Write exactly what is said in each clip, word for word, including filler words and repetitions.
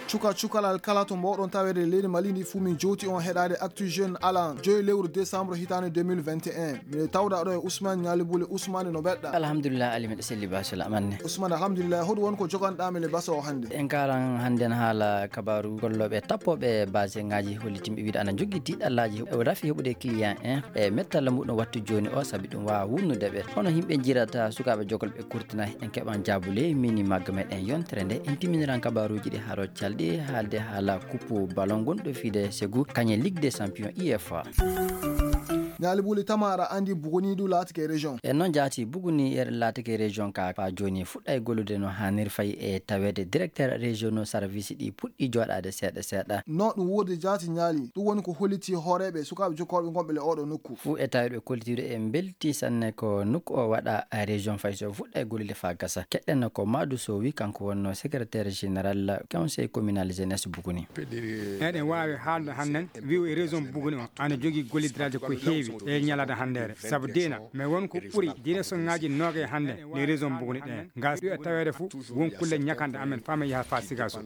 Cuka cukalal kala to mboɗon tawede leydi Mali ndi fuu, min jowti on heɗade Actu Jeune alan joyi lewru décembre hitande deux mille vingt et un. Miɗo tawda ɗo e Ousmane Ñaali Buli. Ousmane, no mbeɗɗa? Alhamdulillah, Ali, miɗo selli, ba sala amanne. Ousmane, alhamdulillah, hoɗum woni ko joganɗa men e basa o hannde? En kalan hannde en haala kabaaru gollooɓe tappooɓe base ngaji hollitimɓe wiide ana jogii tiiɗallaaji e rafi heɓude client en e mettalla muɗum wattu jooni o, sabi ɗum waawa wunnude ɓe. Hono yimɓe njirata sukaaɓe jokol ɓe kurtina, en keɓan jaabule mini magga meɗen yontere nde, en timminiran kabaaruuji ɗi haro calɗi haalde haala kuppu ballon gonɗo fiide segu kañe Ligue des Champions, U E F A. Ñaali Buli, tama aɗa anndi Buguni du laatike région. E noon jaati, Buguni e laatike région ka, fa jooni fuɗɗay gollude no haanir fay e taweede directeur régionaux service ɗi puɗɗi jooɗaade seeɗa seeɗa. No ɗum woodi jaati Ñaali, ɗum woni ko holliti hooreeɓe sukaaɓe jokkorɓe gonɓe le oɗo nokku. Fuu e taweede ɓe kollitiiɗo e mbelti sanne ko nokku o waɗa région fay so fuɗɗay gollude fa gasa. Keɗɗen ko Madu Sowi, kanko wonno secrétaire général conseil communal jeunesse Buguni. Eɗen waawi haalde hannden wi'o e région Buguni o ana jogii gollidiraaji ko heewi e ñalaade hanndeere. Sabu dina, mais won ko ɓuri direction ngaji noogay hannde ne région Buguni ɗen. Ngas ɗo e taweede fuu, won kulle ñakanɗe amen faa men yaha faa Sigaso.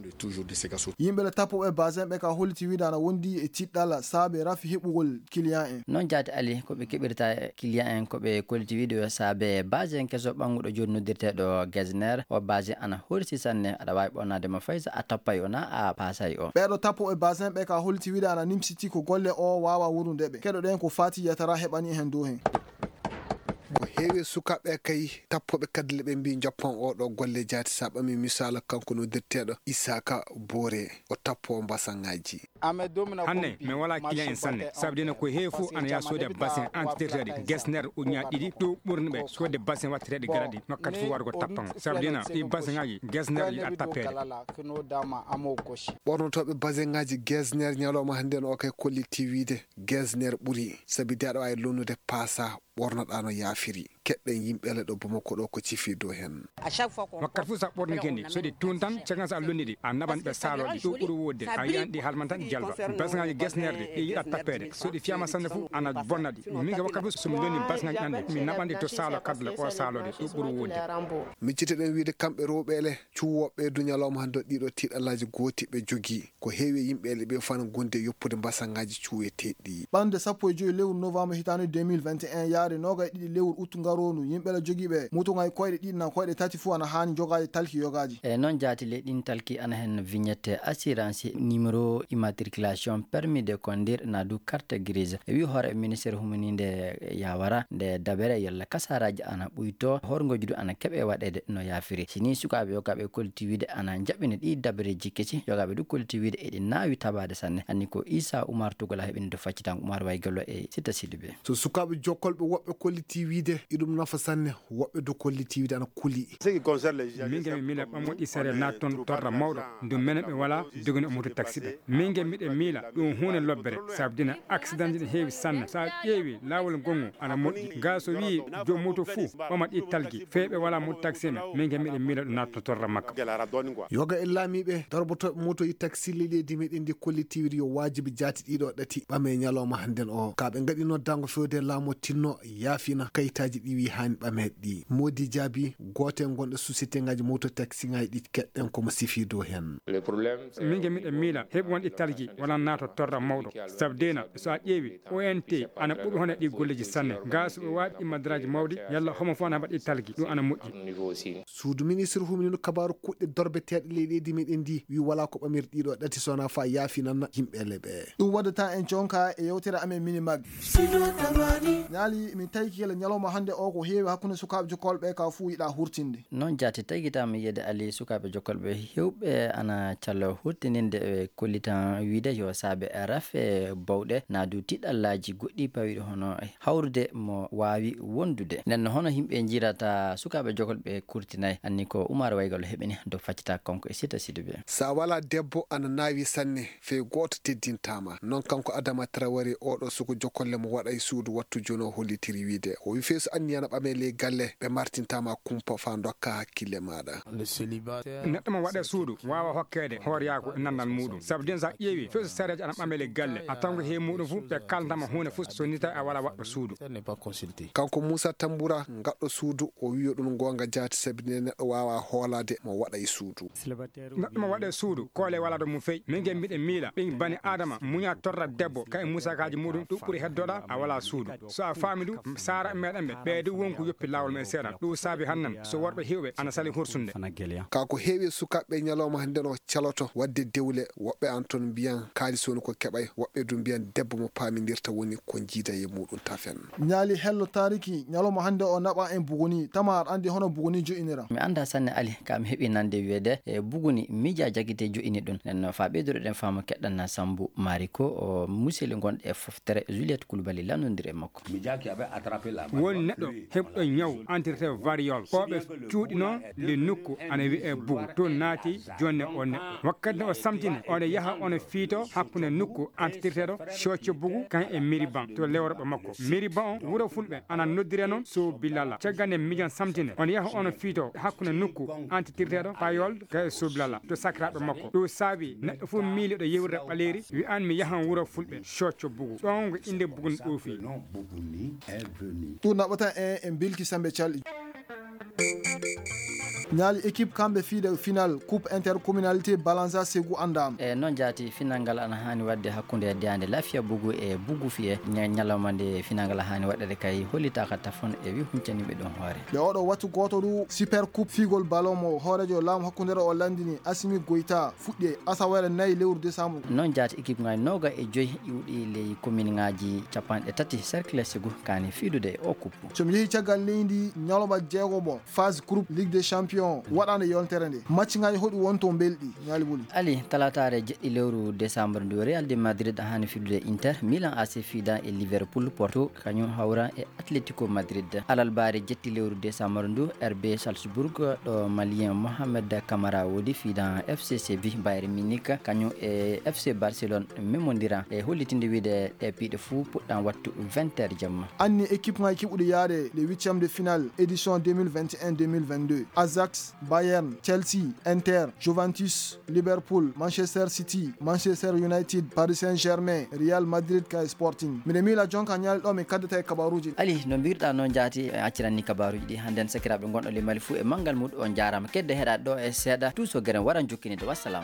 Yimɓe le tappuɓe base en ɓe ka holliti wiide ana wondi e tiɗɗala saabe rafi heɓugol client en. Noon jaati Ali, ko ɓe keɓirta client en ko ɓe kolliti wiide yo saabe base en keso ɓannguɗo jooni noddirteeɗo Gesner. O base ana horsi sanne, aɗa waawi ɓonnaade mo fay so a tappay o na a paasay o. Ɓeeɗo tappuɓe base en ɓe ka holliti wiide ana nimsiti ko golle o waawa wurude ɓe. Keɗoɗen ko Fati Yatara heɓani hen dow hen. Ko heewi e sukaaɓe kay tappooɓe kaddule ɓe mbii joppan oo ɗoo golle jaati. So a ɓamii misaala, kanko noddirteeɗo Isaaka Boore, o tappoowo mbasaŋaaji. Hannde mi walaa client en sanne, sabu dina ko heewi fof ana yaha soode basin entretien ɗi gesner ujunnaaji ɗiɗi ɗo ɓurni ɓe soode basin watteteeɗi gaɗa ɗi nokkat fof waɗa ko tappan. Sabu dina ɗi basiŋaaji gesner yiɗa tappeede. Ɓornotooɓe basiŋaaji gesner ñalawma hannde no o kay kolliti wiide gesner ɓuri, sabi de aɗa waawi lonnude paasa ɓornoɗaa no yaafiri. Keɗɗen yimɓe le ɗo Bamako ɗo ko cifi dow hen. Wakkati fof so a ɓornike ndi, so ɗi tuun tan, cakan so a londi ɗi, a naɓan ɓe saalo ɗi, ɗo ɓuri wodde, a yiyan ɗi halman tan jalba. Basiŋaaji gesner ɗi, ɗi yiɗa tappeede. So ɗi fiyama sanne fof, ana bonna ɗi. Min ka wakkati fof so mi londi basiŋaaji ɗan ɗi, mi naɓan ɗi to saalo kadle o saalo ɗi, ɗo ɓuri wodde. Miccitoɗen wiide kamɓe rewɓe le, cuwooɓe du ñalawma hannde ɗiɗo tiiɗallaaji gooti ɓe jogii. Ko heewi e yimɓe le ɓe fana gonde yoppude mbasaŋaaji cuweteeɗi. Ɓannde sappo e joyi lewru novembre hitaande deux mille vingt et un yaade noogay e ɗiɗi lewru août ngaroondu, yimɓe le jogiiɓe motoŋaaji koyɗe ɗiɗi na koyɗe tati fof ana haani jogaade talki yogaaji. E noon jaati le ɗin talki ana hen vignette assurance, numéro immatriculation, permis de conduire na du carte grise. E wi hoore ministère humininde yawara nde dabere yolla kasaraaji ana ɓuyto, horngoji du ana keɓe waɗeede no yaafiri. Si ni sukaaɓe yogaaɓe kolliti wiide ana jaɓɓina ɗi dabareeji kesi, yogaaɓe du kolliti wiide eɗi naawi tabaade sanne. Anni ko Isa Umar Tugal a heɓini do faccitan Umar Waygello e Sita Sidibé. So sukaaɓe jokkolɓe woɓɓe kolliti wiide iɗum nafa sanne, woɓɓe du kolliti wiide ana kuli. Min gami mila ɓammoɗi sere natton torra mawɗo, ndu menen ɓe wala dogino moto taxi ɓe. Min gami miɗe mila ɗum huunde lobbere, sabu dina accident ne heewi sanne. Sa ƴeewi laawol ngongu ana moƴƴi. Ga so wi joom moto fuu ɓama ɗi talgi, fee ɓe wala moto taxi men, min gami miɗe mila ɗum natton torra makka. Yoga e laamiiɓe darbotooɓe moto e taxi leydi meɗen ndi kolliti wiide yo waajibi jaati ɗiɗo ɗati ɓame ñalawma hannden o. Ka ɓe ngaɗi noddango fewde laamu tinno yaafina kayitaaji ɗi wi haani ɓameeɗi ɗi. Moodi jaabi gooto e gonɗo société ngaji moto taxi ngaji ɗi keɗɗen komo sifi dow hen. Min ge miɗen miila heɓi won ɗi talgi wala naato torra mawɗo. Sabu dena so a ƴeewi O N T ana ɓuri hono ɗi golleji sanne. Ga so ɓe waɗi ɗi madraji mawɗi yalla homo fof ana mbaɗi talgi ɗum ana moƴƴi. Suudu ministre huminino kabaaru kuɗɗe dorbeteeɗe leyɗeedi meɗen ndi wi wala ko ɓamir ɗiɗo ɗati sona fa yaafinanna yimɓe leɓe. Ɗum waddata en conka e yewtere amen mini mag. Ñaali min tawi kila ñalawma hannde o ko heewi hakkunde sukaaɓe jokkolɓe ka fuu yiɗa hurtinde. Noon jaati tagitama yiyde ali sukaaɓe jokkolɓe hewɓe ana callo hurtininde e kollitan wiide yo saabe rafe bawɗe na du tiɗallaaji goɗɗi pawiɗi hono hawrude mo waawi wondude. Nden no hono yimɓe njirata sukaaɓe jokkolɓe kurtinay anni ko Umar Waygal heɓini do faccita konko e sita sidi be. Sa wala debbo ana naawi sanne fey gooto teddintama. Noon kanko Adama Traoré oɗo suko jokkolle mo waɗa e suudu wattu jono hollitiri wiide o wi fey so anni Yana ɓame ley galle, ɓe martintaama kumpa faa ndokka hakkille maaɗa. Neɗɗo mo waɗa suudu waawa hokkeede hooreyaaku e nannal muuɗum. Sabu den so a ƴeewi, fewso sareejo ana ɓame ley galle, a tawko he muuɗum fu, ɓe kaalantama huunde fu so ni tawi a walaa waɗɗo suudu. Kanko Muusa Tambura, gaɗɗo suudu, o wiyo ɗum goonga jaati, sabi ne neɗɗo waawa hoolaade mo waɗa e suudu. Neɗɗo mo waɗa e suudu, koole walaa ɗo mum fey. Min gen miɗen miila, ɓen bani Aadama, muña torra debbo, ka e muusakaaji muuɗum, ɗum ɓuri heddoɗa, a walaa suudu. So a faami du, saara meɗen ɓe, ɓe du wonko yoppi laawol men seeɗan. Ɗum saabi hannan, so worɓe heewɓe, ana sali hursunde. Ka ko heewi e sukaaɓe ñalawma hannde no caloto waɗde dewle, woɓɓe an toon mbiyan kaalis woni ko keɓay, woɓɓe du mbiyan debbo mo paamindirta woni ko jiida e muuɗum tafen. Ñaali hello taariki, ñalawma hannde o naɓa en buguni, tama aɗa anndi hono buguni jo'inira. Mi anndaa sanne Ali, ka mi heɓi nande wiyeede, e buguni, miija jagite jo'ini ɗum. Nden no faa ɓeyduɗo ɗen faamu keɗɗan Sambu Maari ko, o museli gonɗe e foftere Juliette Koulibaly lannondiri e makko. Won neɗɗo heɓɗo ñaw antirte variole. Ɓooɓe cuuɗi noon nde nokku ana wiyee bugu. Toon naati jonne o neɗɗo. Wakkati nde o samtine, oɗo yaha ono fiito hakkunde nokku antitirteeɗo Cocco Bugu kan e Miriban to lewroɓe makko. Miriban on wuro fulɓe ana noddire noon so bilala. Caggal nde mijan samtine, ono yaha ono fiito hakkunde nokku antitirteeɗo Payol ka e so bilala to sakiraaɓe makko. Ɗum saabi neɗɗo fof miiliɗo yewrde ɓaleeri wi an mi yahan wuro fulɓe Cocco Bugu. Ɗon ko innde Bugun ɗoofi. Ɗum naɓata en e bilki sembe calɗi. Ñaali équipe kamɓe fiide final coupe intercommunalité Balanza Ségou andaama. E noon jaati final ngal ana haani waɗde hakkunde Deyaande Lafiya Bugu e Bugu Fiye. Ña- ñalawma nde final ngal haani waɗede kay hollitaaka tafon e wi huncaniɓe ɗum hoore. Nde oɗo wattu gooto du super coupe fiigol ballon mo hooreejo laamu hakkundeere o landini Assimi Goïta fuɗɗi e asawere nayi lewru décembre. Noon jaati équipe ngaji nooga e joyi iwɗi ley commune ngaji capanɗe tati cercle Ségou kaani fiidude e o coupe. So mi yehi caggal leydi ñalawma jeegomo phase groupe Ligue des Champions waɗaande yontere nde. Match ngaji hoɗi won to belɗi, Ñaali Buli. Ali, talataare jeɗɗi lewru décembre ndu, Real de Madrid haani fiidude Inter, Milan A C fiida e Liverpool, Porto kañum hawra e Atletico Madrid. Alarbaare jeɗɗi lewru décembre ndu, R B Salzburg ɗo Malien Mohamed Kamara woodi fiida F C Séville, Bayern Munich kañum e F C Barcelone memondira e hollitinde wiide ɗe piiɗe fuu puɗɗan wattu vingt heures jamma. Anni équipe ngaji keɓuɗi yaade les huitièmes de finale édition deux mille vingt et un deux mille vingt-deux. Ajax, Bayern, Chelsea, Inter, Juventus, Liverpool, Manchester City, Manchester United, Paris Saint-Germain, Real Madrid ka Sporting. Miɗo miila jonka ñaali ɗo min kaddata e kabaruji. Ali, no mbirɗa noon jaati, en acciranni kabaruji ɗi hannden sakiraaɓe gonɗo le Mali fuu e manngal muɗum. On jaaraama kedde heɗaade ɗo e seeɗa. Tuuso geren waran jokkinide. Wassalam.